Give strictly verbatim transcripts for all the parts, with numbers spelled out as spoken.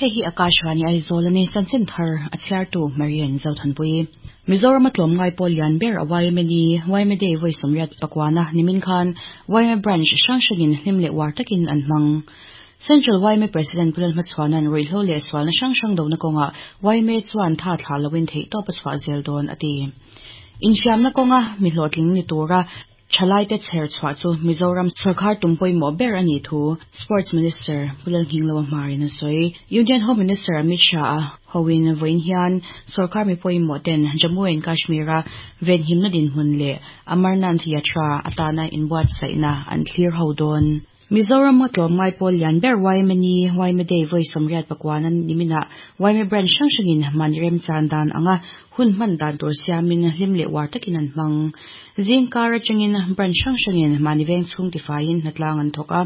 Hei hi Akashvani Aizawl ani chanchin thar a chhiartu Marian Zothanpui. Mizoram a tlawmngai pawl lian ber a Y M A ni Y M A Day vawi sawmriat pakuana nimin khan Y M A branch hrang hrangin hlim leh uar takin an hmang. Central Y M A President Pu Lalhmachhuana'n ruihhlo leh sualna hrang hrang dona kawnga Y M A chuan tha thlah loin theih tawp a chhuah zel dawn a ti. Infiamna kawnga mi hlawhtling ni tura thalai te chher chhuah chu Mizoram sarkar tum pawimawh ber ani thu Sports Minister Pu Lalnghinglova Hmarin a sawi. Union Home Minister Amit Shah a hoin vawiin hian sarkar mi pawimawh ten Jammu and Kashmir a venhimna dinhmun leh Amarnath Yatra atana inbuatsaihna an thlir ho dawn. Mizoram a tlawmngai pawl lian ber Y M A ni Y M A Day vawi sawmriat pakuana nimina Y M A branch hrang hrangin mahni remchan dan anga hun hman dan tur siamin hlim leh uar takin an hmang. Zingkar atangin branch hrang hrangin mahni veng chhung tifaiin hnatlang an thawk a.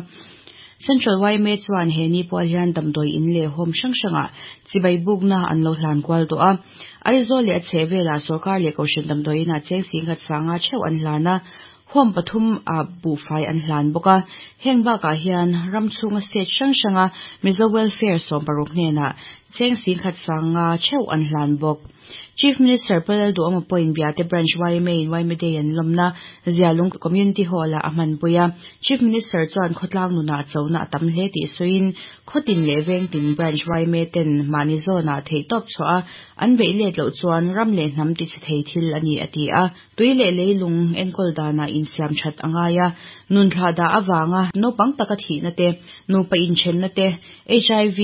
Central Y M A chuan he ni pawl hian damdawi in leh home hrang hranga chibai bukna an lo hlan kual tawh a. Aizawl leh a chhehvelah sarkar leh kohhran damdawi inah cheng singkhat sanga theuh an hlan a. Home pathum a buhfai an hlan bawk a. Heng bakah hian ram chhunga state hrang hranga Mizo Welfare sawm paruk hnenah cheng singkhat sanga theuh an hlan bawk. Chief Minister Pu Lalduhoma pawhin Biate Branch Y M A in Y M A Day an lawmna Zialung Community Hall ah a hmanpui a. Chief Minister chuan khawtlang nunah chona a tam hle tih sawiin khawtin leh vengtin branch Y M A ten mahni zawnah theih tawp chhuah a an beih let loh chuan ram leh hnam ti chhe thei thil ani a ti a. Tui leh leilung enkawl danah insiam that a ngai a. Nun thlah dah awanga naupang taka thihna te, nupa inthenna te, H I V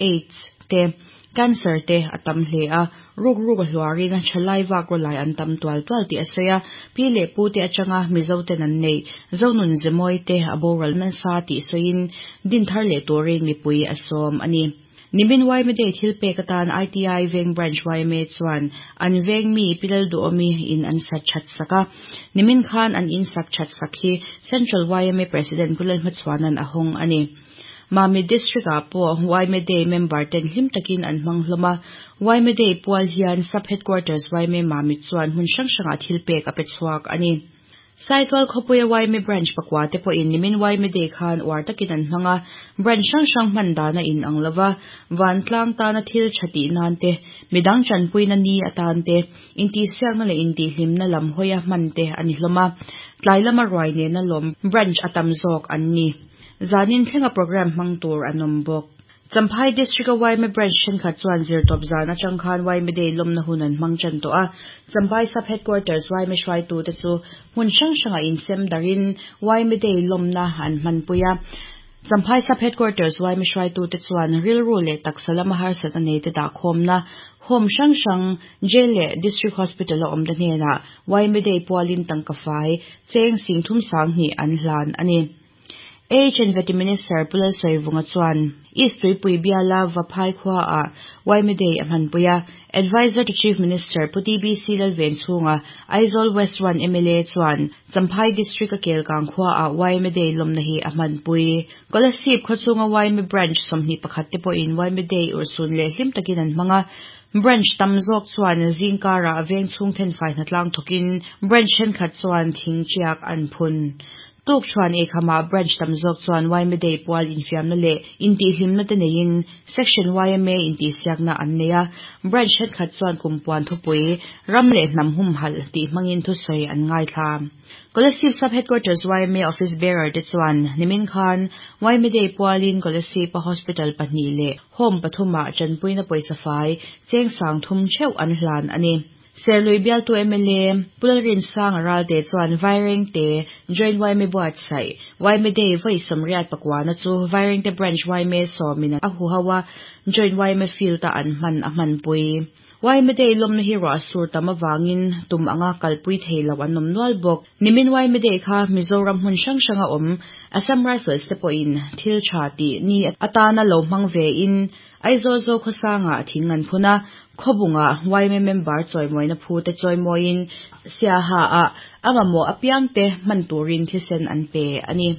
AIDS te, cancer te a tam hle a. Ruk ruk a hluarin thalai vak rawlai an tam tual tual tih a sawi a. Pi leh pu te atanga Mizo ten an nei zonun zemawi te a boral nasa tih sawiin din thar leh turin mipui a sawm ani. Nimin Y M A Day thil pek atan I T I Veng Branch Y M A chuan an veng mi Pi Lalduhawmi in an sak that sak a. Nimin khan an in sak that sak hi Central Y M A President Pu Lalhmachhuana'n a hawng ani. Mamit District ah pawh Y M A Day member ten hlim takin an hmang hlawm a. Y M A Day pual hian Sub Headquarters Y M A Mamit chuan hmun hrang hrangah thil pek a pe chhuak ani. Saitual khawpuia Y M A branch pakua te pawhin nimin Y M A Day khan uar takin an hmang a. Branch hrang hrang hman dana in ang lova vantlang tana thil tha tih nan te, midang chanpuina ni atan te, intihsiakna leh intihhlimna lam hawia hman te ani hlawm a. Tlai lama ruai nena lawm branch a tam zawk an ni. Zanin thlenga program hmang tur an awm bawk. Champhai District a Y M A branch thenkhat chuan zirtawp zan atang khan Y M A Day lawmna hun an hmang tan tawh a. Champhai Sub Headquarters Y M A hruaitu te chu hmun hrang hranga insem darin Y M A Day lawmna an hmanpui a. Champhai Sub Headquarters Y M A hruaitu te chuan rilru leh taksa lama harsat a nei te dah khawmna home hrang hrang, jail leh District Hospital a awm te hnenah Y M A Day pualin tangka fai cheng sing thum sang hnih an hlan ani. A H and Vety Minister Pu Lalsawivunga chuan East Tuipui biala Vaphai khua a Y M A Day a hmanpui a. Advisor to Chief Minister Pu T B C Lalvenchhunga, Aizawl West one M L A chuan Champhai District a Kelkang khua a Y M A Day lawmna hi a hmanpui. Kolasib khawchhunga Y M A branch sawmhnih pakhat te pawhin Y M A Day urhsun leh hlim takin an hmang a. Branch tam zawk chuan zingkarah veng chhung thenfai hnatlang thawkin branch thenkhat chuan thing tiak an phun. Tuk chuan eikhama branch tam zawk chuan Y M A Day pual infiamna leh intihhlimna te neiin Section Y M A intihsiakna an nei a. Branch thenkhat chuan kumpuan thupui ram leh hnam humhalh tih hmangin thusawi an ngaithla. Kolasib Sub Headquarters Y M A Office Bearer te chuan nimin khan Y M A Day pualin Kolasib a Hospital pahnih leh home pathumah chanpuina pawisa fai cheng sang thum theuh an hlan ani. Serlui bialtu M L A Pu Lalrinsanga Ralte chuan Vairengte Joint Y M A buatsaih Y M A Day vawi sawmriat pakuana chu Vairengte Branch Y M A sawmin a huho a Joint Y M A field a an hman a hmanpui. Y M A Day lawmna hi ruah sur tam awangin tum anga kalpui theilo an awm nual bawk. Nimin Y M A Day kha Mizoram hmun hrang hranga awm Assam Rifles te pawhin thil tha tih ni atana lo hmang ve in Aizawl zo khawsanga thing an phun a. Khawbunga Y M A member chawimawina phu te chawimawiin Siaha ah a mamawh apiang te hman turin thisen an pe ani.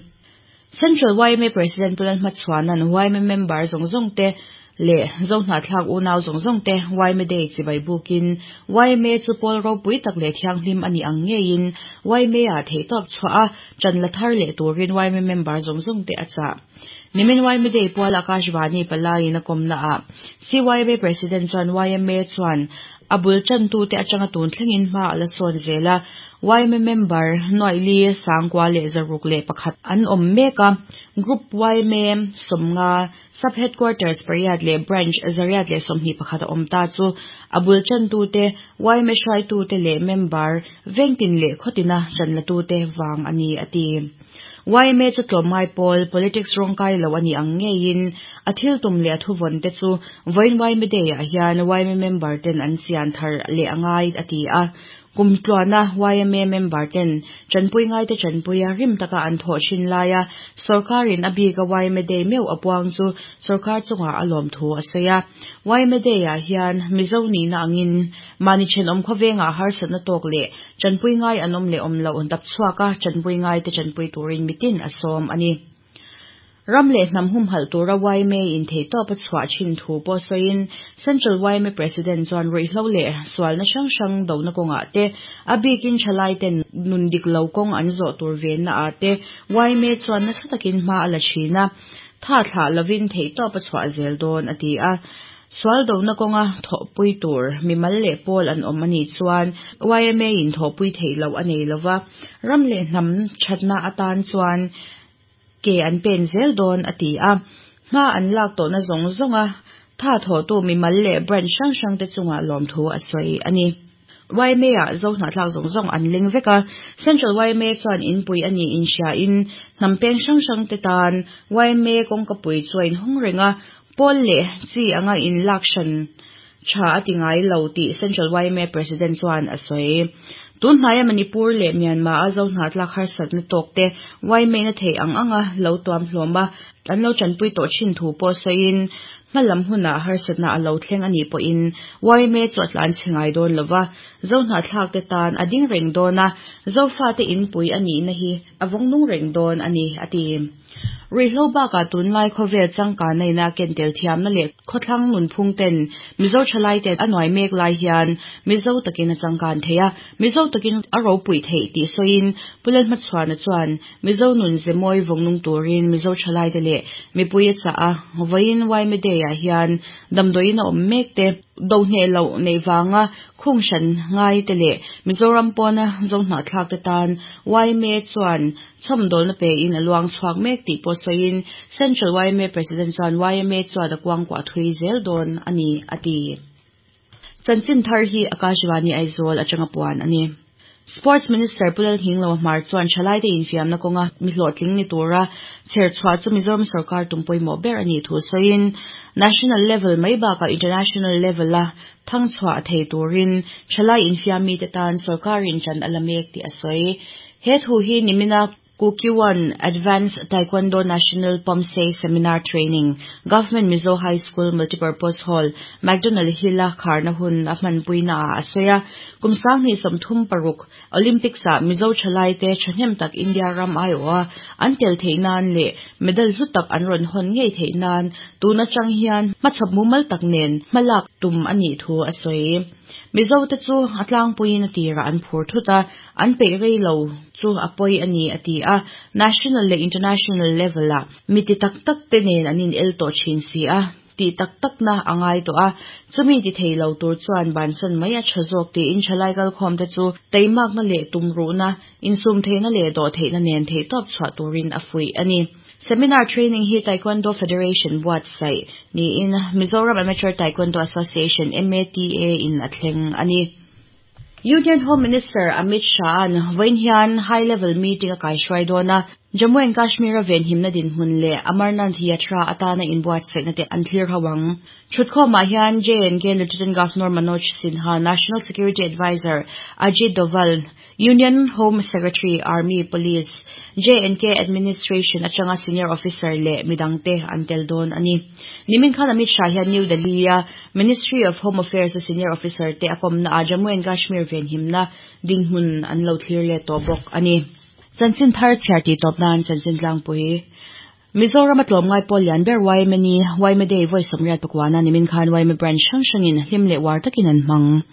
Central Y M A President Pu Lalhmachhuana'n Y M A member zawng zawng te leh zohnahthlak unau zawng zawng te Y M A Day chibai bukin Y M A chu pawl ropui tak leh thianghlim ani ang ngeiin Y M A ah theihtawp chhuah a chan la thar leh turin Y M A member zawng zawng te a chah. Nimin Y M A Day pual Akashvani palai na komna a C Y M A President chuan Y M A chuan abul chan tu te atanga tun thlengin hma ala sawn zela Y M A member noili sangkwa le zaruk le pakhat an om meka group Y M A somnga sub headquarters pariat le branch zariat le somni pakhat om ta chu abul chan tu te Y M A hrai tu te le member vengtin le khotina chanla tu te wang ani ati. Y M A chu tlawmngai pawl politics rawngkai lo ani ang ngeiin a thil tum le a thuvon te chu vawiin Y M A Day ah hian Y M A member ten an sian thar le angai ati a. Kum tluana Y M A member ten chanpui ngai te chanpuia rim taka an thaw thin laia sarkarin a bika Y M A Day meu apuang chu sarkar chunga a lawm thu a sawi a. Y M A Day ah hian Mizo ni na angin mani then awm khawvenga harsatna tawk le chanpui ngai an awm le awm lo dap chhuaka chanpui ngai te chanpui turin mitin a sawm ani. Ram le hnam hum hal tura Y M A in thei tawp a chhuah thin thu pawh sawiin Central Y M A President chuan ruihhlo le sualna hrang hrang do na kawngah te a bikin thalai ten nun dik lo kawng an zawh tur ven na ah te Y M A chuan nasa takin hma a la thin a tha thlah lovin thei tawp a chhuah zel dawn a ti a. Sual do na kawnga thawhpui tur mimal leh pawl an awm ani chuan Y M A in thawhpui thei lo a nei lova ram leh hnam thatna atan chuan ke an pen zel dawn a ti a. Hma an lak tawhna zawng zawnga tha thaw tu mimal leh branch hrang hrang te chunga lawm thu a sawi ani. Y M A ah zo hnahthlak zawng zawng an leng vek a. Central Y M A chuan inpui ani inhria in hnam peng hrang hrang te tan Y M A kawngkapui chu a inhawng reng a pawl leh chi anga in lak hran tha a ti ngai lo tih Central Y M A President chuan a sawi. Tun hnaia Manipur leh Myanmar a zo hnahthlak harsatna tawk te Y M A na thei ang anga lo tuam hlawm a an lo chanpui tawh thin thu pawh sawiin hmalam hunah harsatna a lo thleng ani pawhin Y M A chu a tlan che ngai dawn lova zo hnahthlak te tan a ding reng dawn a zofa te inpui ani na hi a vawng nung reng dawn ani ati. Ruihhlo bakah tunlai khawvel changkan neina ken tel thiamna leh khawthlang nunphung ten Mizo thalai te a nuai mek lai hian Mizo takin a changkan thei a Mizo takin a ropui theih tih sawiin Pulen hmachhuana chuan Mizo nun zemawi vawng nung turin Mizo thalai te leh mipui a chah a vawiin Y M A Day ah hian damdawiin a awm mek te do hneh loh nei wanga khung hran ngai te leh Mizoram pawna zo hnahthlak te tan Y M A chuan chhawmdawlna pe in a luang chhuak mek tih pawh sawiin Central Y M A President chuan Y M A chuan a kuangkuah thui zel dawn ani ati. Chanchin thar hi Akashvani Aizawl atanga puan ani. Sports Minister Pulal Hinglo Hmar chuan thalai te infiamna kawnga mi hlawhtling ni tura chher chhuah chu Mizoram sarkar tumpawimawh ber ani thu sawiin national level mai bakah international level a thang chhuah thei turin thalai infiam mi te tan sarkarin chan a la mek tih a sawi. He thu hi nimina Kukkiwon Advanced Taekwondo National Poomsae Seminar Training Government Mizo High School Multipurpose Hall McDonald Hill a kharna hun a hmanpui na a sawi a. Kum sanghnih sawmthum paruk Olympics ah Mizo thalai te thahnem tak India ram ai aw a an tel theih nan leh medal hlu tak an rawn hawn ngei theih nan tun atang hian hmachhawp mumal tak nen hmalak tum anih thu a sawi. Mizo te chu a tlangpuiin a tirah an phur thut a an peih rei lo chu a pawi ani a ti a. National leh international level ah mi ti tak tak te nen an in el tawh thin si a tih tak tak na a ngai tawh a chumi ti thei lo tur chuan bansan mai a tha zawk tiin thalai kalkhawm te chu teimakna leh tumruhna insum theihna leh dawh theihna nen thei tawp chhuah turin a fuih ani. Seminar training hi Taekwondo Federation buatsaih niin Mizoram Amateur Taekwondo Association M A T A in a thleng ani. Union Home Minister Amit Shah an vawiin hian high level meeting a kaihruai dawn a Jammu and Kashmir a venhimna dinhmun leh Amarnath Yatra atana inbuatsaihna te an thlir ho ang. Thutkhawmah hian J and K Lieutenant Governor Manoj Sinha, National Security Advisor Ajit Doval, Union Home Secretary, Army, Police, J and K Administration atanga senior officer leh midangte an tel dawn ani. Nimin khan Amit Shah hian New Delhi a Ministry of Home Affairs a senior officer te a kawmna a Jammu and Kashmir venhimna dinhmun an lo thlir leh tawh bawk ani. Chanchin thar chhiar tih tawp nan chanchin tlangpui. Mizoram a tlawmngai pawl lian ber Y M A ni Y M A Day vawi sawmriat pakuana nimin khan Y M A branch hrang hrangin hlim leh war takin an hmang.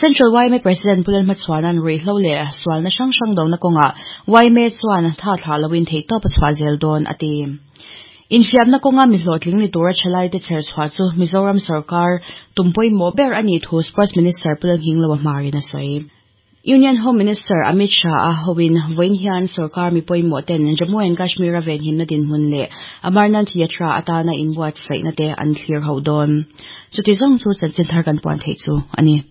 Central Y M A President Pulal Hmachhuanan ruihhlo leh sualna hrang hrang do na kawngah Y M A chuan tha thlah loin thei tawp a chhuah zel dawn a ti. Infiamna kawnga mi hlawhtling ni tura thalai te chher chhuah chu Mizoram sarkar tum pawimawh ber a nih thu Sports Minister Pu Lalnghinglova Hmarin a sawi. Union Home Minister Amit Shah a hoin vawiin hian sarkar mi pawimawh ten Jammu and Kashmir a venhimna dinhmun leh Amarnath Yatra atana inbuatsaihna te an thlir ho dawn. Chuti zawng chu chanchin thar kan puan theih chu a ni.